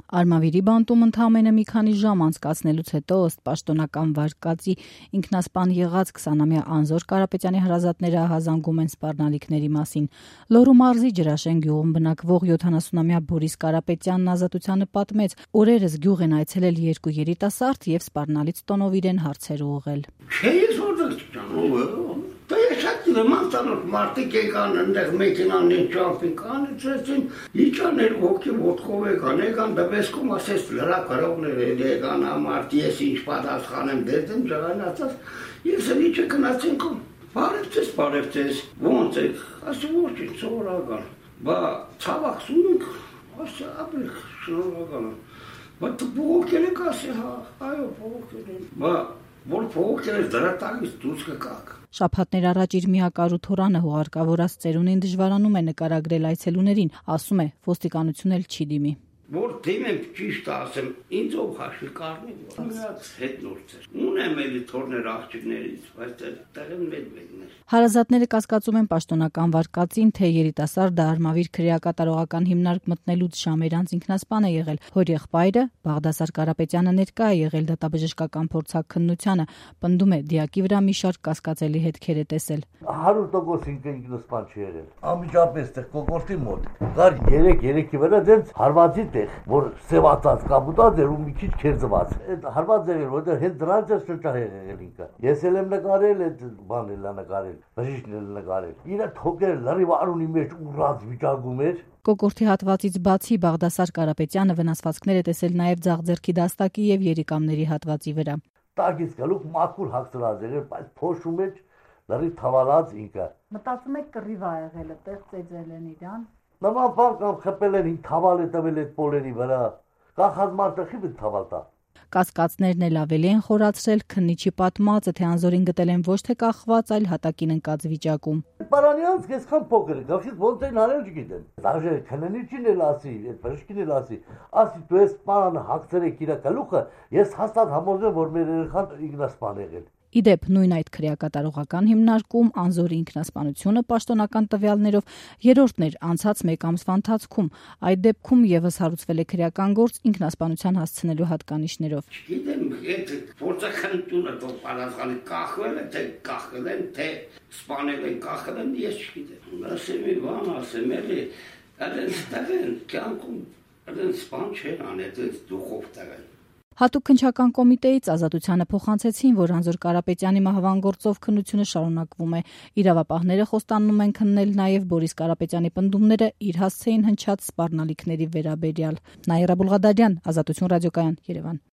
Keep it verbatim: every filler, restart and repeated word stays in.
Արմավիրի բանտում ընդամենը մի քանի ժամ անցկացնելուց հետո ըստ պաշտոնական վարկածի ինքնասպան եղած քսանամյա Անզոր Կարապետյանի հարազատները ահազանգում են սպառնալիքների մասին։ Լոռու մարզի Ջրաշեն գյուղում բնակվող յոթանասունամյա Բորիս Կարապետյանն Ազատությանը պատմեց, օրերս գյուղ են այցելել երկու երիտասարդ եւ սպառնալից տոնով իրեն հարցեր ուղղել։ Մանտանոց մարդիկ եկան ընդեղ մեքենաներ ճամփին ծրեցին, իջաներ ոգի ոտքով եկան, եկան դվեսքում ասես լրակարողներ եկան ամարտ, ես ինչ պատասխանեմ դերդեմ ջրանացած, ես էլ իջը գնացինք, բարևձեզ, բարևձեզ, ոնց եք, ասի ոչինչ, սովորական, բա ցավակցում ենք, ասի ապրեք, շնորհակալ եմ, բա փողոքել եք, ասի հա, այո, փողոքել եմ, բա որ փողոքել եք դրատագից դուրս կգաք։ Շաբաթներ առաջ իր միակարու թորանը հուղարկավորած ծերունին դժվարանում է նկարագրել այցելուներին, ասում է ոստիկանություն էլ չի դիմի։ Որ դիմեմ ճիշտ ասեմ, ինձ ով հաշվի կառնի, միած հետնորդ էր։ Ունեմ էլի թորներ աղջիկներից, բայց տեղն մեծ մեկն էր։ Հարազատները կասկածում են պաշտոնական վարկածին, թե երիտասարդը Արմավիր քրեակատարողական հիմնարկ մտնելուց ժամեր անց ինքնասպան է եղել։ Հոր եղբայրը Բաղդասար Կարապետյանը ներկա է եղել դատաբժշկական փորձաքննությանը, պնդում է դիակի վրա մի շարք կասկածելի հետքեր է տեսել։ հարյուր տոկոս ինքնասպան չի եղել։ Անմիջապես տեղ կոկորտի մոտ կար երեք-երեքի վրա դենց հարվածի որ սևացած կապուտած էր ու մի քիչ քերծված։ Այդ հարված էր, որտեղ հենց դրանց է շրջահ եղել ինքը։ Ես էլ եմ նկարել այդ բանել, նկարել, բժիշկն էլ նկարել։ Իրա թոքերը լրիվ արունի մեջ ուռած վիճակում էր։ Կոկորտի հատվածից բացի Բաղդասար Կարապետյանը վնասվածքներ է տեսել նաև ձախձեռքի դաստակի եւ երիկամների հատվածի վրա։ Տակից գալուկ մաքուր հագցրած էր, բայց փոշու մեջ լրիվ թավալած ինքը։ Մտածում եք կռիվ ա եղել, այդտեղ ծեծել են իրան։ Նման բան կամ խփել են թավալ է տվել այդ պոլերի վրա, կախած մարդը խիպ թավալ տա։ Կասկածներն էլ ավելի են խորացրել քննիչի պատմածը, թե Անզորին գտել են ոչ թե կախված, այլ հատակին ընկած վիճակում։ Պարանյանց այսքան փոքր է, գավշիտ ոնց են արել չգիտեմ։ Դաժե քննիչին էլ ասի, այդ բժշկին էլ ասի, ասի դու ես պարանը հագցրեք իր գլուխը, ես հաստատ համոզեմ, որ մեր երեխան ինքնասպան եղել։ Իդեպ նույն այդ քրեակատարողական հիմնարկում Անզորի ինքնասպանությունը պաշտոնական տվյալներով երրորդն էր անցած մեկ ամսվա ընթացքում։ Այդ դեպքում եւս հարուցվել է քրեական գործ ինքնասպանության հասցնելու հատկանիշներով։ Գիտեմ, այդ փորձաքննությունը դու պատասխանի կախվել է, թե կախել են, թե սպանել են, կախել են, ես չգիտեմ։ Ասեմ մի բան, ասեմ էլի, այդպես տղեն կյանքում այդպես սպան չեն անել, այդպես դուխով տղեն։ Հատուկ քննչական կոմիտեից Ազատությանը փոխանցեցին, որ Անզոր Կարապետյանի մահվան գործով քննությունը շարունակվում է։ Իրավապահները խոստանում են քննել նաև Բորիս Կարապետյանի պնդումները իր հասցեին հնչած սպառնալիքների վերաբերյալ։ Նաիրա Բուլղադարյան, Ազատություն ռադիոկայան, Երևան։